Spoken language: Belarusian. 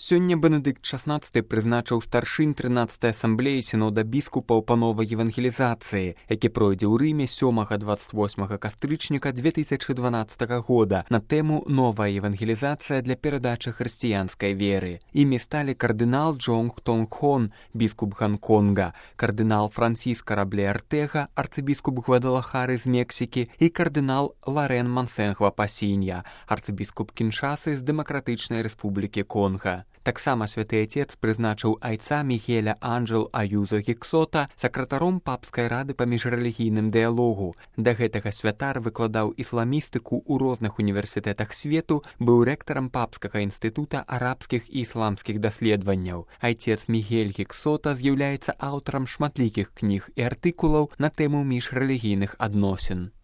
Сёння Бенедыкт XVI прызначыў старшынь 13-й асамблеі сінода біскупаў па новай евангелізацыі, які пройдзе ў Рыме 7-28 кастрычніка 2012 года на тэму «Новая евангелізацыя для перадачы хрысціянскай веры». Імі сталі кардынал Джонг Тонг Хон, біскуп Гонконга, кардынал Франсіска Рабле Артега, арцыбіскуп Гвадалахары з Мексікі і кардынал Ларен Мансенгва Пасінья, арцыбіскуп Кіншасы з Дэмакратычнай Рэспублікі Конга. Таксама святы Отец прызначыў айца Мігеля Анджэл Аюзо Гіксота сакратаром папскай рады па міжрэлігійным дыялогу. Да гэтага святар выкладаў ісламістыку ў розных універсітэтах свету, быў рэктарам папскага інстытута арабскіх і ісламскіх даследаванняў. Айцец Мігель Гіксота з'яўляецца аўтарам шматлікіх кніг і артыкулаў на тэму міжрэлігійных адносін.